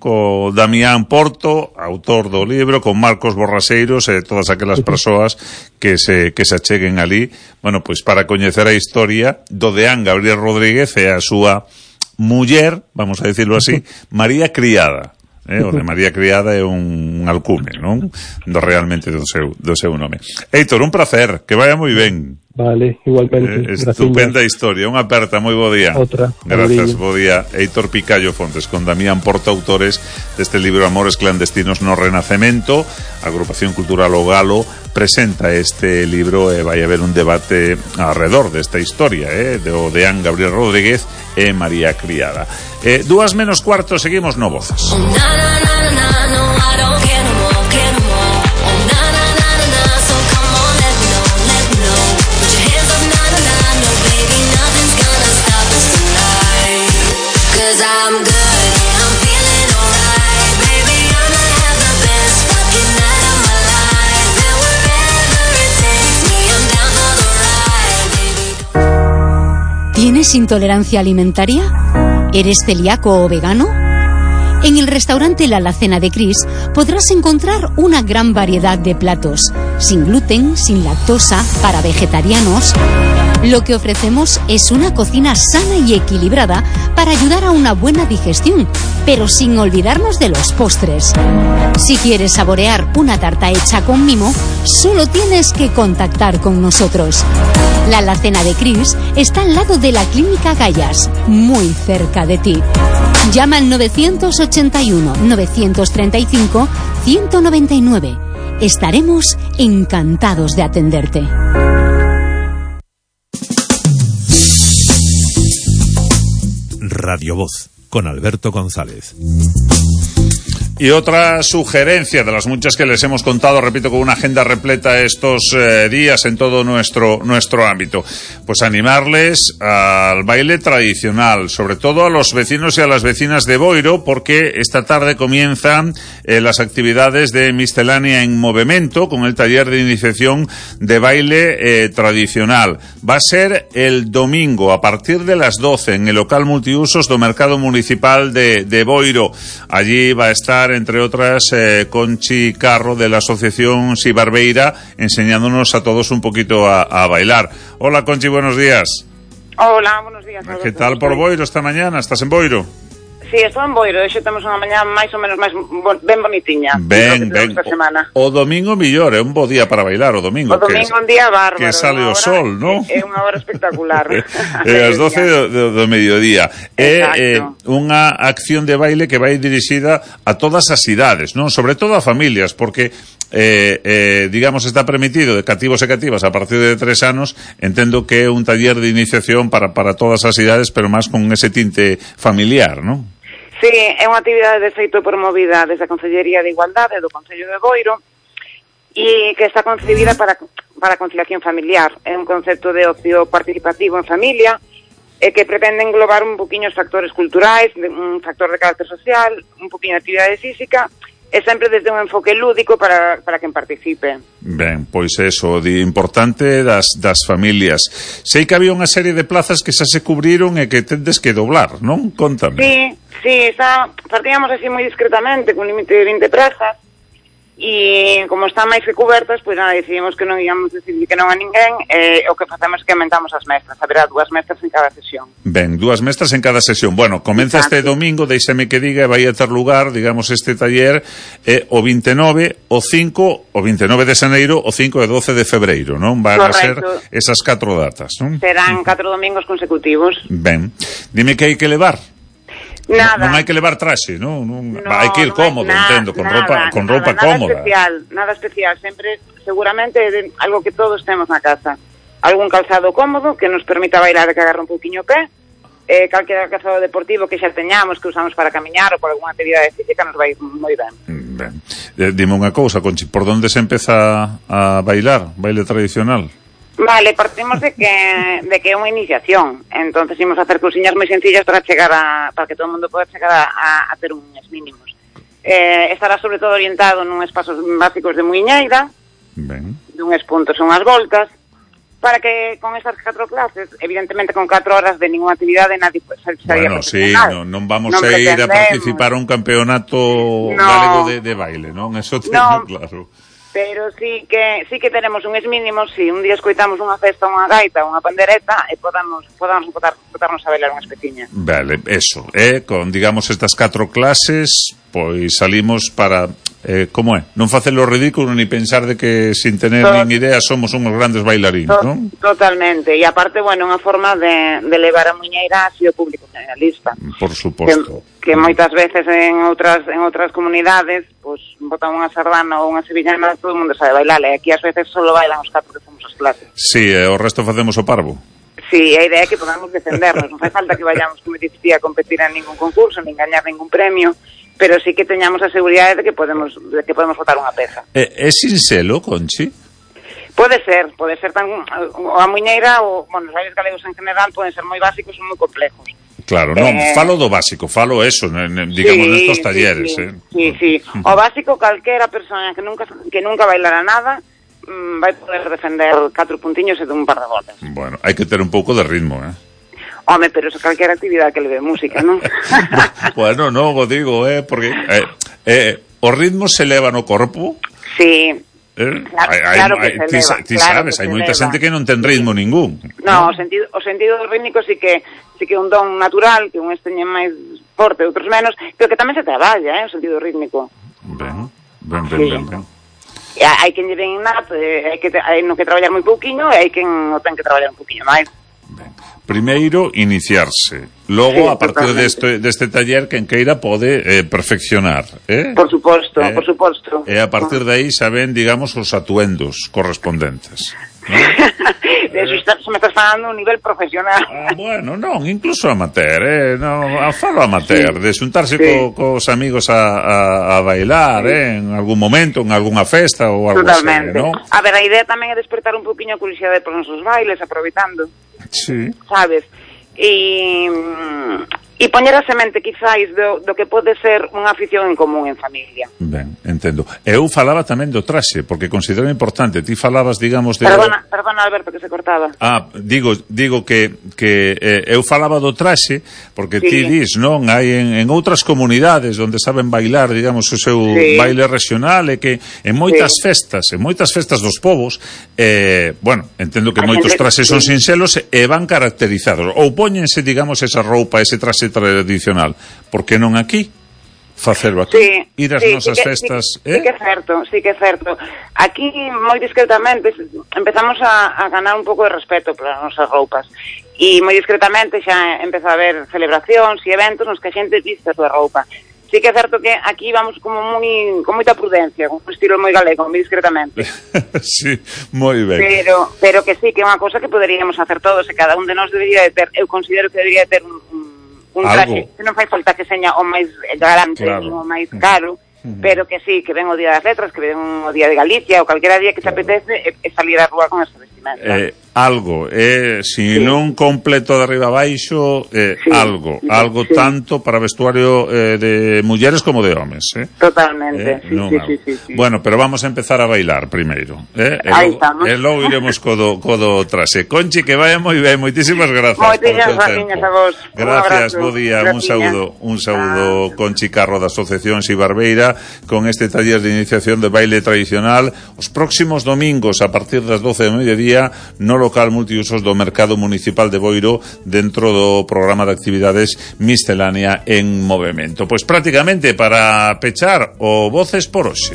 Damián Porto, autor do libro, con Marcos Borraseiros e todas aquelas persoas que se acheguen ali, bueno, pois para coñecer a historia do deán Gabriel Rodríguez e a súa muller, vamos a decirlo así, María Criada. O de María Criada é un alcume, non? Realmente do seu nome. Héctor, un placer, que vaya moi ben. Vale, igualmente. Estupenda historia, unha aperta, moi bo día. Outra. Gracias, bo día. Héctor Picallo Fontes, con Damián Porto, autores deste libro Amores clandestinos no Renacemento. A Agrupación Cultural O Galo presenta este libro e vai haber un debate alrededor desta historia, do deán Gabriel Rodríguez e María Criada. 2:45, seguimos no Vozas. ¿Tienes intolerancia alimentaria? ¿Eres celíaco o vegano? En el restaurante La Alacena de Cris podrás encontrar una gran variedad de platos, sin gluten, sin lactosa, para vegetarianos. Lo que ofrecemos es una cocina sana y equilibrada para ayudar a una buena digestión, pero sin olvidarnos de los postres. Si quieres saborear una tarta hecha con mimo, solo tienes que contactar con nosotros. La Alacena de Cris está al lado de la Clínica Gallas, muy cerca de ti. Llama al 981-935-199. Estaremos encantados de atenderte. Radio Voz, con Alberto González. Y otra sugerencia de las muchas que les hemos contado, repito, con una agenda repleta estos días en todo nuestro ámbito, pues animarles al baile tradicional, sobre todo a los vecinos y a las vecinas de Boiro, porque esta tarde comienzan las actividades de Miscelánea en Movimento con el taller de iniciación de baile tradicional. Va a ser el domingo a partir de las 12 en el local multiusos do Mercado Municipal de Boiro. Allí va a estar, entre otras, Conchi Carro de la asociación Sibarbeira, enseñándonos a todos un poquito a bailar. Hola Conchi, buenos días. Hola, buenos días. ¿Qué tal por Boiro esta mañana? ¿Estás en Boiro? Sí, estou en Boiro, hoxe temos unha mañá máis ou menos ben bonitiña. Ben. O domingo millor, é un bo día para bailar o domingo. O domingo un día bárbaro. Que sale o sol, non? É unha hora espectacular. As 12 do mediodía. É unha acción de baile que vai dirixida a todas as idades, non? Sobre todo a familias, porque digamos, está permitido de cativos e cativas a partir de 3 anos. Entendo que é un taller de iniciación para todas as idades, pero máis con ese tinte familiar, non? Sí, é unha actividade de feito promovida desde a Consellería de Igualdade do Concello de Boiro e que está concebida para a conciliación familiar. É un concepto de ocio participativo en familia e que pretende englobar un poquinho os factores culturais, un factor de carácter social, un poquinho de actividade física, e sempre desde un enfoque lúdico para quen participe. Ben, pois eso, de importante das familias. Sei que había unha serie de plazas que xa se cubriron e que tendes que doblar, non? Contame. Sí, partíamos así moi discretamente, con límite de 20 plazas, e como están máis que cubertas, pois nada, decidimos que non íamos decidir que non a ninguén, o que facemos é que aumentamos as mestras, haberá 2 mestras en cada sesión. Ben, 2 mestras en cada sesión. Bueno, comeza este domingo, deixame que diga, vai a ter lugar, digamos, este taller o 29, o 5, o 29 de xaneiro, o 5 e 12 de febreiro, non? Van a ser esas 4 datas, non? Serán 4 domingos consecutivos. Ben, dime que hai que levar. Nada. Non hai que levar traxe, non? Hai que ir cómodo, entendo, con roupa cómoda. Nada especial, sempre seguramente algo que todos temos na casa. Algún calzado cómodo que nos permita bailar e que agarre un pouquiño o pé, calquera calzado deportivo que xa teñamos, que usamos para camiñar ou por algunha actividade física, nos vai moi ben. Ben. Dime unha cousa, Conchi, por onde se empeza a bailar? Baile tradicional? Vale, partimos de que é unha iniciación. Entonces imos facer cousiñas moi sencillas para que todo o mundo poda chegar a ter uns mínimos. Estará sobre todo orientado nuns pasos básicos de muiñeira, dunhas puntos e unhas voltas, para que con esas 4 clases, evidentemente con 4 horas de ninguna actividade, nadie saría bueno, sí, non vamos a ir a participar a un campeonato galego de baile, non? Eso teño claro. Pero sí que tenemos uns mínimos, si un día escoitamos unha festa, unha gaita, unha pandereta, e podamos botarnos a bailar unha especiña. Vale, eso, con, digamos, estas 4 clases, pois salimos para... como é? Non facelo ridículo ni pensar de que sin tener nin idea somos unhos grandes bailarines, non? Totalmente, e aparte, bueno, unha forma de levar a muiñeira así o público generalista. Por suposto. Que moitas veces en outras comunidades, pues botan unha sardana ou unha sevillana, todo o mundo sabe bailar, e aquí ás veces só bailan os 4 que fomos as clases. Sí, o resto facemos o parvo. Sí, a idea é que podamos defendernos, non fai falta que vayamos, como dicía, a competir en ningún concurso, nin gañar ningún premio, pero sí que teñamos a seguridade de que podemos botar unha peza. É sinxelo, Conchi? Pode ser tan a muiñeira ou, bueno, os bailes galegos en general poden ser moi básicos ou moi complejos. Claro, non, falo do básico, falo eso, digamos, nestos talleres. Sí. O básico, calquera persona que nunca bailara nada vai poder defender 4 puntiños e dun par de voltas. Bueno, hai que ter un pouco de ritmo, Home, pero eso calquera actividade que leve música, non? Bueno, non, o digo, porque o ritmo se leva no corpo. Sí. Claro que se leva. Ti sabes, hai moita xente que non ten ritmo ningún. No, o sentido rítmico sí que é un don natural, que un teñen máis forte, outros menos, pero que tamén se traballa, o sentido rítmico. Ben. Hai quen lle ven innato, hai no que traballar moi pouquiño, e hai quen o ten que traballar un pouquiño máis. Primeiro, iniciarse. Logo, a partir deste taller, quen queira pode perfeccionar. Por suposto. E a partir de aí xa ven, digamos, os atuendos correspondentes. Se me estás falando un nivel profesional. Bueno, non, incluso amateur, falo amateur, de xuntarse cos amigos a bailar, en algún momento, en algunha festa ou algo así, non? A ver, a idea tamén é despertar un poquinho a curiosidade por nosos bailes, aproveitando. Sí. Sabes? E poñer a semente, quizáis, do que pode ser unha afición en común en familia. Ben, entendo. Eu falaba tamén do traxe, porque considero importante. Ti falabas, digamos... Perdona, Alberto, que se cortaba. Digo que eu falaba do traxe, porque ti dis, non? Hai en outras comunidades onde saben bailar, digamos, o seu baile regional, e que en moitas festas dos povos, bueno, entendo que moitos traxes son sinxelos e van caracterizados. Ou póñense, digamos, esa roupa, ese traxe tradicional, por que non aquí? Facelo aquí, ir ás nosas festas. Sí que é certo. Aquí, moi discretamente, empezamos a ganar un pouco de respeto polas nosas roupas, e moi discretamente xa empeza a haber celebracións e eventos nos que a xente viste a súa roupa. Sí que é certo que aquí vamos como con moita prudencia, con un estilo moi galego, moi discretamente. Sí, moi ben. Pero que sí, que é unha cosa que poderíamos hacer todos, e cada un de nós debería de ter, eu considero que debería de ter un traxe, que non fai falta que seña o máis galante, o máis caro, pero que sí, que ven o Día das Letras, que ven o Día de Galicia, ou calquera día que se apetece, e salir á rúa con esa vestimenta. Algo, non completo de arriba a baixo, algo tanto para vestuario de mulleres como de homes. Totalmente, sí. Bueno, pero vamos a empezar a bailar primeiro. Aí estamos. E logo iremos co do traxe. Conchi, que vaya moi ben, moitísimas grazas. Moitísimas gracias a vos. Gracias, bo día, un saúdo, Conchi Carro da Asociación Xibarbeira, con este taller de iniciación de baile tradicional, os próximos domingos a partir das 12 do mediodía no local multiusos do Mercado Municipal de Boiro, dentro do programa de actividades Miscelánea en Movemento. Pois prácticamente para pechar o Voces por hoxe.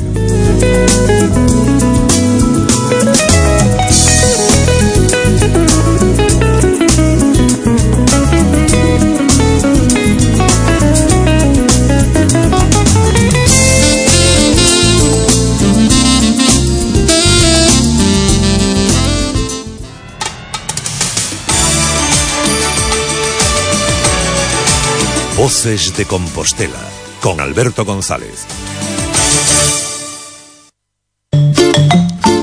Voces de Compostela, con Alberto González.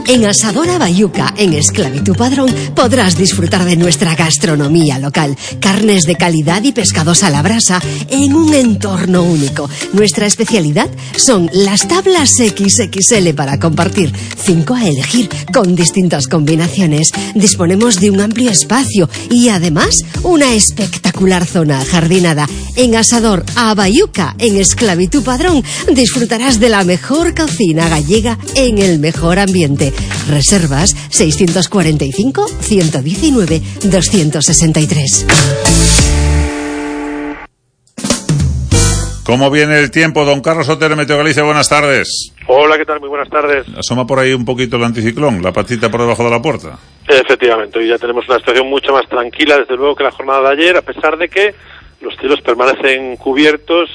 En Asador Abayuca, en Esclavitud Padrón, podrás disfrutar de nuestra gastronomía local, carnes de calidad y pescados a la brasa en un entorno único. Nuestra especialidad son las tablas XXL para compartir, 5 a elegir con distintas combinaciones. Disponemos de un amplio espacio y además una espectacular zona ajardinada. En Asador Abayuca, en Esclavitud Padrón, disfrutarás de la mejor cocina gallega en el mejor ambiente. Reservas 645 119 263. ¿Cómo viene el tiempo? Don Carlos Otero, Meteo Galicia, buenas tardes. Hola, ¿qué tal? Muy buenas tardes. Asoma por ahí un poquito el anticiclón, la patita por debajo de la puerta. Efectivamente, hoy ya tenemos una situación mucho más tranquila, desde luego, que la jornada de ayer, a pesar de que los cielos permanecen cubiertos,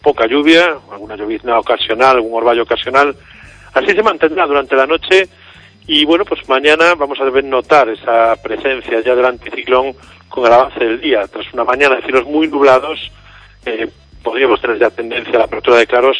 poca lluvia, alguna llovizna ocasional, algún orvallo ocasional. Así se mantendrá durante la noche y, bueno, pues mañana vamos a deber notar esa presencia ya del anticiclón con el avance del día. Tras una mañana de cielos muy nublados, podríamos tener ya tendencia a la apertura de claros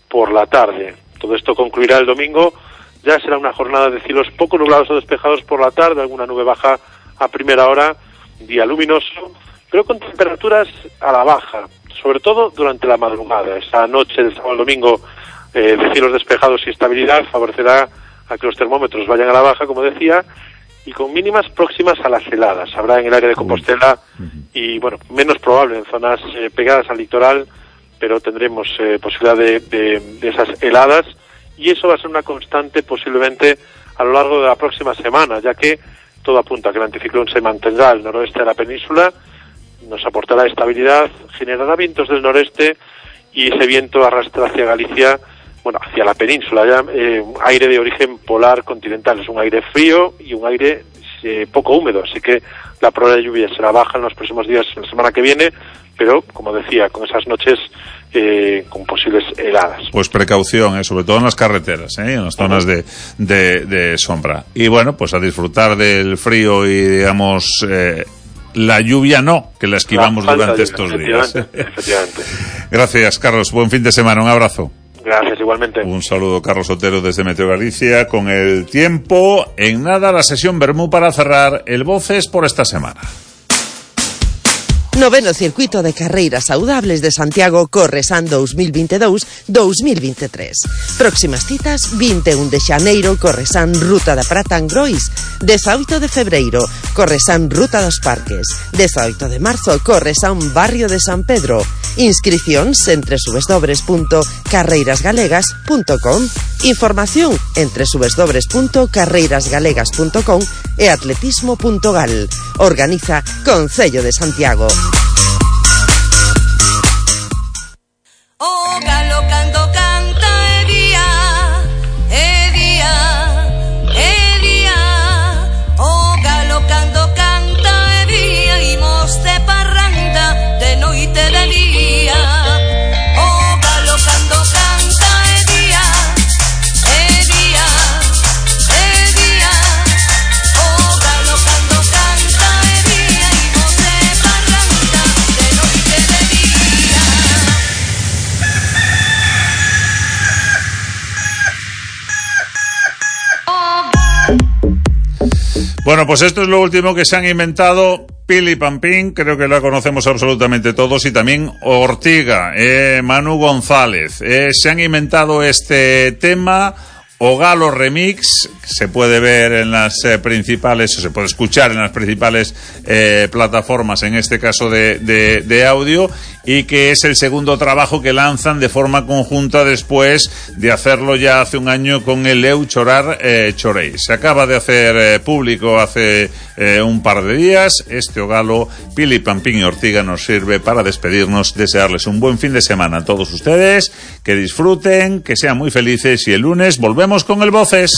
por la tarde. Todo esto concluirá el domingo. Ya será una jornada de cielos poco nublados o despejados por la tarde, alguna nube baja a primera hora, día luminoso, pero con temperaturas a la baja, sobre todo durante la madrugada. Esa noche del sábado al domingo de cielos despejados y estabilidad favorecerá a que los termómetros vayan a la baja, como decía, y con mínimas próximas a las heladas. Habrá en el área de Compostela y, bueno, menos probable en zonas pegadas al litoral, pero tendremos posibilidad de esas heladas, y eso va a ser una constante posiblemente a lo largo de la próxima semana, ya que todo apunta a que el anticiclón se mantendrá al noroeste de la península, nos aportará estabilidad, generará vientos del noreste y ese viento arrastra hacia Galicia, bueno, hacia la península ya, aire de origen polar continental. Es un aire frío y un aire poco húmedo, así que la probabilidad de lluvia será baja en los próximos días, la semana que viene, pero, como decía, con esas noches con posibles heladas. Pues precaución, sobre todo en las carreteras, en las zonas de sombra. Y bueno, pues a disfrutar del frío y, digamos, la lluvia no, que la esquivamos durante estos días. Efectivamente. Gracias, Carlos. Buen fin de semana. Un abrazo. Gracias, igualmente. Un saludo, Carlos Otero, desde Meteo Galicia, con el tiempo. En nada, la sesión Bermú para cerrar el Voces por esta semana. Noveno Circuito de Carreiras Saudables de Santiago Corresan 2022-2023. Próximas citas: 21 de xaneiro Corresan Ruta da Prata en Grois, 18 de febreiro Corresan Ruta dos Parques, 18 de marzo Corresan Barrio de San Pedro. Inscricións en www.carreirasgalegas.com. Información en www.carreirasgalegas.com e atletismo.gal. Organiza Concello de Santiago. O galo cando canta e día, e día, e día. O galo cando canta e día, imos de parranda de noite e de día. O galo cando canta e día, e día, e día. O galo cando canta e día, imos de parranda de noite e de día. Bueno, pues esto es lo último que se han inventado Pili Pampín, creo que la conocemos absolutamente todos, y también Ortiga, Manu González. Se han inventado este tema, O Galo Remix, se puede ver en las principales, o se puede escuchar en las principales plataformas, en este caso de audio, y que es el segundo trabajo que lanzan de forma conjunta después de hacerlo ya hace un año con el Eu Chorar Chorei. Se acaba de hacer público hace un par de días. Este O Galo, Pili Pampín y Ortiga, nos sirve para despedirnos, desearles un buen fin de semana a todos ustedes, que disfruten, que sean muy felices, y el lunes volvemos con el Voces.